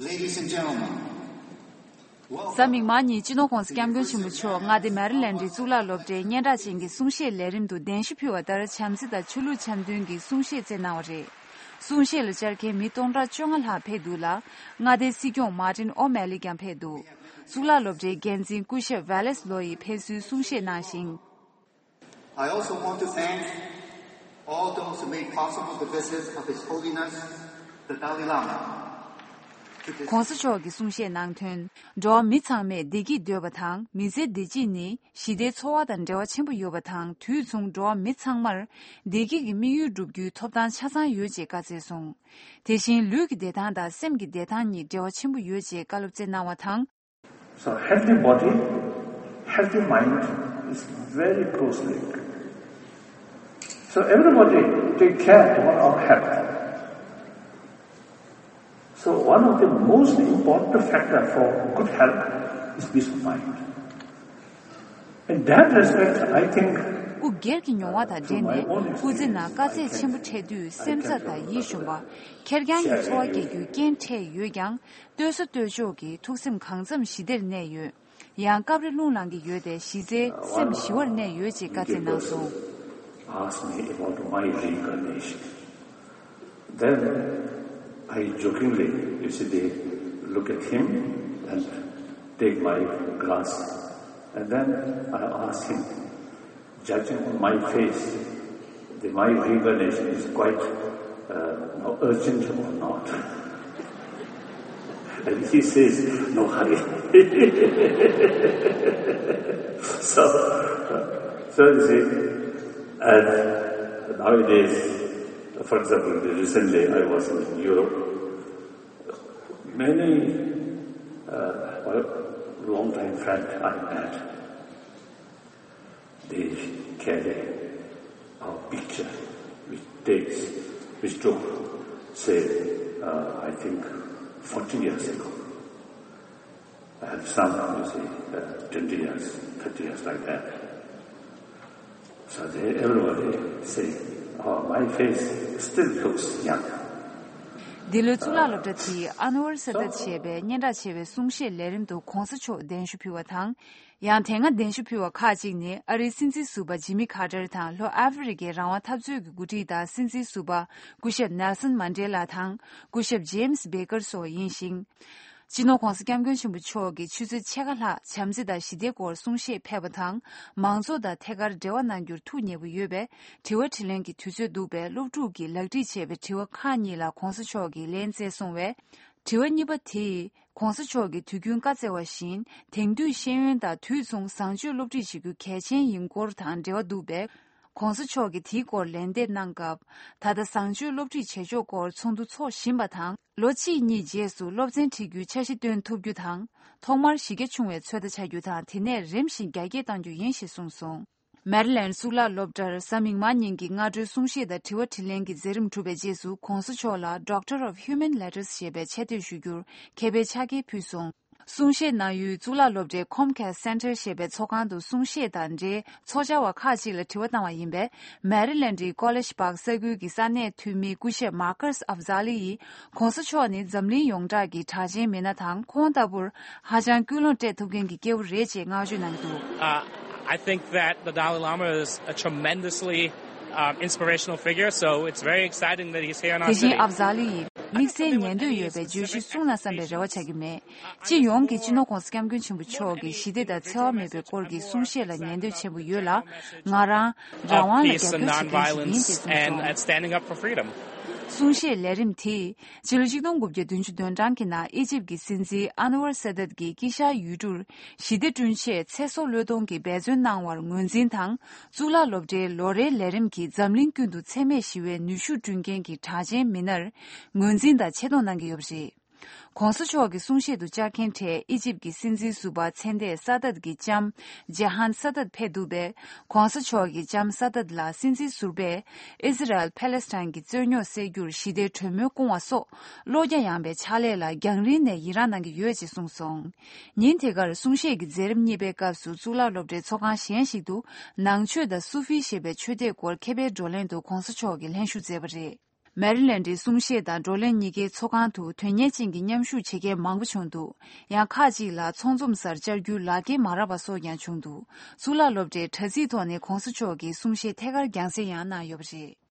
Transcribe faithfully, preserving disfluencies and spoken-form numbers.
Ladies and gentlemen, གཟའ་མིག་དམར་ཉིན་སྤྱི་ནོར་༧གོང་ས་༧སྐྱབས་མགོན་ཆེན་པོ་མཆོག་མངའ་སྡེ་མེ་རི་ལེན་ཌི་གཙུག་ལག་སློབ་གྲྭའི་སྙན་གྲགས་ཅན་གྱི་གསུང་བཤད་ལས་རིམ་དུ་གདན་ཞུ་ཕུལ་བ་ལྟར་བྱམས་བརྩེ་དང་ཆོས་ལུགས་འཆམ་མཐུན་གྱི་གསུང་བཤད་སྩལ་གནང་བ་རེད། གསུང་བཤད་ལ་བཅར་མཁན་མི་སྟོང་ཕྲག་བཅོ་ལྔ་ལྷག་ཕེབས་འདུག་ལ། མངའ་སྡེའི་སྲིད་སྐྱོང་མར་ཏིན་ཨོ་མེ་ལི་ཀྱང་ཕེབས་འདུག་གཙུག་ལག་སློབ་གྲྭའི་འགན་འཛིན་སྐུ་ཞབས་ཝེ་ལེས་ལོ་ཡིས་ཕེབས་བསུའི་གསུང་བཤད་གནང་ཞིང་། I also want to thank all those who made possible the visit of His Holiness the Dalai Lama. To this ༧གོང་ས་མཆོག་གིས་གསུང་བཤད་གནང་དོན། འགྲོ་བ་མི་ཚང་མས་བདེ་སྐྱིད་འདོད་པ་དང་མི་ཚེའི་བདེ་སྐྱིད་ནི་ཞི་བདེའི་འཚོ་བ་དང་འབྲེལ་བ་ཆེན་པོ་ཡོད་པ་དང་དུས་མཚུངས་འགྲོ་བ་མི་ཚང་མར་བདེ་སྐྱིད་ཀྱི་དམིགས་ཡུལ་བསྒྲུབ་རྒྱུའི་ཐོབ་ཐང་ཆ་ཚང་ཡོད་ཅེས་བཀའ་སྩལ་སོང་། དེ་བཞིན་ལུས་ཀྱི་བདེ་ཐང་དང་སེམས་ཀྱི་བདེ་ཐང་གཉིས་འབྲེལ་བ་ཆེན་པོ་ཡོད་ཅེས་བཀའ་སློབ་སྩལ་གནང་བ་དང་། So healthy body, healthy mind is very closely linked. So everybody take care of our health. So one of the most important factor for good health is peace of mind. In that respect, I think སྐུ་སྒེར་གྱི་མྱོང་བ་དང་འབྲེལ་ནས་སྐུ་ཚེ་ནང་དཀའ་ཚེགས་ཆེན་པོ་འཕྲད་དུས་སེམས་འཚབ་དང་ཡིད་ཞུམ་པ། ཁེར་རྐྱང་གི་འཚོ་བ་སྐྱེལ་རྒྱུའི་རྐྱེན་འཕྲད་ཡོད་ཀྱང་། ལྟོས་ས་ལྟོས་ཕྱོགས་ཀྱི་ཐུགས་སེམས་གང་འཚམ་ཞི་བདེར་གནས་ཡོད། ཡང་སྐབས་རེ་རླུང་ལངས་ཀྱི་ཡོད་དེ་གཞི་རྩའི་སེམས་ཞི་བར་གནས་ཡོད་ཅེས་བཀའ་སྩལ་གནང་སོང་། Asked me about my reincarnation. Then I jokingly, you see, they look at him and take my glass. And then I ask him, judging on my face, the, my reincarnation is quite uh, urgent or not. And he says, no hurry. So, so you see, and nowadays, for example, recently I was in Europe. Many uh, long time friend I met. They carry our picture, which takes, which took, say, uh, I think, forty years ago. And some, you see, uh, twenty years, thirty years, like that. So they, everybody say, oh, my face still looks young. འདི་ལོའི་གཙུག་ལག་སློབ་གྲྭ་དེའི་ཨ་ནུ་ཝར་ས་དད་ཞེས་པའི་སྙན་གྲགས་ཆེ་བའི་གསུང་བཤད་ལས་རིམ་དུ་༧གོང་ས་མཆོག་གདན་ཞུ་ཕུལ་བ་དང་། ཡང་དེ་སྔ་གདན་ཞུ་ཕུལ་བ་ཁག་ཅིག་ནི་ཨ་རིའི་སྲིད་འཛིན་ཟུར་པ་ཇི་མི་ཁ་ཏར་དང་ལྷོ་ཨ་ཧྥེ་རི་ཁའི་རང་དབང་འཐབ་རྩོད་ཀྱི་འགོ་ཁྲིད་དང་སྲིད་འཛིན་ཟུར་པ་སྐུ་ཞབས་ནེལ་སོན་མན་ཌེ་ལ་དང་སྐུ་ཞབས་ཇེམ་སི་བེ་ཀར་སོགས་ཡིན་ཞིང་། སྤྱི་ནོར་༧གོང་ས་༧སྐྱབས་མགོན་ཆེན་པོ་མཆོག་གིས་ཆུ་ཚོད་ཕྱེད་ཀ་ལྷག་བྱམས་བརྩེ་དང་ཞི་བདེའི་སྐོར་གསུང་བཤད་ཕེབས་པ་དང་། མང་ཚོགས་དང་ཐད་ཀར་འབྲེལ་བ་གནང་རྒྱུར་ཐུགས་མཉེས་པོ་ཡོད་པས། དྲི་བ་དྲིས་ལན་གྱི་དུས་ཚོད་འདུག་པས། སློབ་ཕྲུག་གིས་ལག་བྲིས་བྱས་པའི་དྲི་བ་ཁག་གཉིས་ལ་༧གོང་ས་མཆོག་གིས་ལན་བསྩལ་སོང་བས། དྲི་བ་གཉིས་པ་དེས། ༧གོང་ས་མཆོག་གིས་དུས་རྒྱུན་བཀའ་སྩལ་བ་བཞིན། དེང་དུས་ཤེས་ཡོན་དང་དུས་མཚུངས་བཟང་སྤྱོད་སློབ་ཁྲིད་བྱེད་རྒྱུ་གལ་ཆེན་ཡིན་སྐོར་དང་འབྲེལ་བ་འདུག་པས། ༧གོང་ས་མཆོག་གིས་དེའི་སྐོར་ལན་འདེབས་གནང་སྐབས། ད་ལྟ་བཟང་སྤྱོད་སློབ་ཁྲིད་བྱེད་ཕྱོགས་སྐོར་ཚོགས་འདུ་འཚོགས་བཞིན་པ་དང་། ལོ་གཅིག་གཉིས་རྗེས་སུ་སློབ་ཚན་ཁྲིད་རྒྱུའི་འཆར་གཞི་བཏོན་ཐུབ་རྒྱུ་དང་། ཐོག་མར་གཞི་རྒྱ་ཆུང་བའི་ཚོད་ལྟ་བྱ་རྒྱུ་དང་། དེ་ནས་རིམ་བཞིན་རྒྱ་སྐྱེད་གཏང་རྒྱུ་ཡིན་ཞེས་གསུངས་སོང་། མེ་རི་ལེན་ཌི་གཙུག་ལག་སློབ་གྲྭར་གཟའ་མིག་དམར་ཉིན་གྱི་སྔ་དྲོའི་གསུང་བཤད་དང་དྲི་བ་དྲིས་ལན་གྱི་མཛད་རིམ་གྲུབ་པའི་རྗེས་སུ། ༧གོང་ས་མཆོག་ལ་Doctor of Humane Letters ཞེས་པའི་ཆེ་བསྟོད་ཞུ་རྒྱུར་མཁས་པའི་ཕྱག་འཁྱེར་ཕུལ་སོང་། གསུང་བཤད་གནང་ཡུལ་གཙུག་ལག་སློབ་གྲྭའི་Comcast Center ཞེས་པའི་ཚོགས་ཁང་དུ་གསུང་བཤད་དང་འབྲེལ་ཚོགས་བཅར་བ་ཁག་ཅིག་ལ་དྲི་བ་བཏང་བ་ཡིན་པས། མེ་རི་ལེན་ཌི་ཀོ་ལེཇ་པཱག་ས་ཁུལ་གྱི་ས་གནས་འཐུས་མི་སྐུ་ཞབས་མར་ཀར་ཨབ་ཛ་ལི་ཡིས། ༸གོང་ས་མཆོག་ནི་འཛམ་གླིང་ཡོངས་གྲགས་ཀྱི་གྲགས་ཅན་མི་སྣ་དང་། ཁོང་ལྟ་བུར་ཧ་ཅང་ཀུན་སློང་སྤྲད་ཐུབ་མཁན་གྱི་སྐྱེ་བོ་རེད་ཅེས་བསྔགས་བརྗོད་གནང་གི་འདུག Uh, I think that the Dalai Lama is a tremendously um, inspirational figure, so it's very exciting that he's here in our དེ་བཞིན་city. ཨབ་ཛ་ལི་ཡིས་དམིགས་བསལ་ཉན་འདོད་ཡོད་པའི་བརྗོད་གཞི་གསུང་གནང་བསམ་པའི་རེ་བ་བྱ་རྒྱུ་མེད། སྤྱི་ཡོངས་ཀྱིས་སྤྱི་ནོར་༸གོང་ས་༸སྐྱབས་མགོན་ཆེན་པོ་མཆོག་གི་ཞི་བདེ་དང་འཚེ་བ་མེད་པའི་སྐོར་གྱི་གསུང་བཤད་ལ་ཉན་འདོད་ཆེན་པོ་ཡོད་ལ། ང་རང་རང་དབང་ལ་རྒྱབ་སྐྱོར་བྱེད་མཁན་ཞིག་ཡིན་ཅེས་གསུངས་སོང་། And standing up for freedom. གསུང་བཤད་ལས་རིམ་དེས་ཕྱི་ལོ་ཆིག་སྟོང་དགུ་བརྒྱ་བདུན་ཅུ་དོན་གྲངས་ཀྱི་ནང་ཨི་ཇིབ་ཀྱི་སྲིད་འཛིན་ཨན་ཝར་ས་དད་ཀྱིས་དཀྱིལ་ཤར་ཡུལ་གྲུར་ཞི་བདེ་བསྐྲུན་ཆེད་ཚེ་སྲོག་བློས་གཏོང་གིས་འབད་བརྩོན་གནང་བར་ངོས་འཛིན་དང་། གཙུག་ལག་སློབ་གྲྭའི་ལོ་རེའི་ལས་རིམ་གྱིས་འཛམ་གླིང་ཀུན་ཏུ་འཚེ་མེད་ཞི་བའི་ནུས་ཤུགས་བསྐྲུན་མཁན་གྱི་གྲགས་ཅན་མི་སྣར་ངོས་འཛིན་དང་ཆེ་མཐོང་གནང་གི་ཡོད་པ་རེད། ༸གོང་ས་མཆོག་གི་གསུང་བཤད་དུ་བཅར་མཁན་གྲས་ཨི་ཇིབ་ཀྱི་སྲིད་འཛིན་ཟུར་པ་མཚན་ལྟས་ས་དད་ཀྱི་ལྕམ་ཇེ་ཧན་ས་དད་ཕེབས་འདུག་པས། ༸གོང་ས་མཆོག་གི་ལྕམ་ས་དད་ལ་སྲིད་འཛིན་ཟུར་པས་ཨི་ཟི་རལ་ཕཱ་ལེ་སི་ཐན་གྱི་རྩོད་རྙོག་སེལ་རྒྱུར་ཞི་བདེའི་གྲོས་མོལ་སྐུང་བ་སོགས་བློ་རྒྱ་ཡངས་པའི་ཕྱག་ལས་ལ་རྒྱང་རིང་ནས་ཡི་རངས་གནང་གི་ཡོད་ཅེས་གསུངས་སོང་། ཉིན་དེ་གར་གསུང་བཤད་ཀྱི་མཛད་རིམ་གཉིས་པའི་སྐབས་སུ་གཙུག་ལག་སློབ་གྲྭའི་ཚོགས་ཁང་གཞན་ཞིག་ཏུ་ནང་ཆོས་དང་སུ་ཧྥི་ཞེས་པའི་ཆོས་སྡེའི་སྐོར་མཁས་པའི་བགྲོ་གླེང་དུ་༸གོང་ས་མཆོག་གིས་ལྷན་ཞུགས་མཛད་པ་རེད། མེ་རི་ལན་ཌའི་གསུང་བཤད་དང་བགྲོ་གླེང་གཉིས་ཀའི་ཚོགས་ཁང་དུ་དོན་གཉེར་ཅན་གྱི་མཉམ་ཞུགས་བྱེད་མཁན་མང་པོ་བྱུང་འདུག་ཡང་ཁག་ཅིག་ལ་ཚོགས་འཛོམས་སར་བཅར་རྒྱུའི་ལག་འཁྱེར་མ་རག་པ་སོགས་ཀྱང་བྱུང་འདུག་གཙུག་ལག་སློབ་གྲྭའི་དྲ་ཚིགས་ཐོག་ནས་གོང་ས་མཆོག་གི་གསུང་བཤད་ཐད་ཀར་རྒྱང་སྲིང་ཡང་གནང་ཡོད་པ་རེད།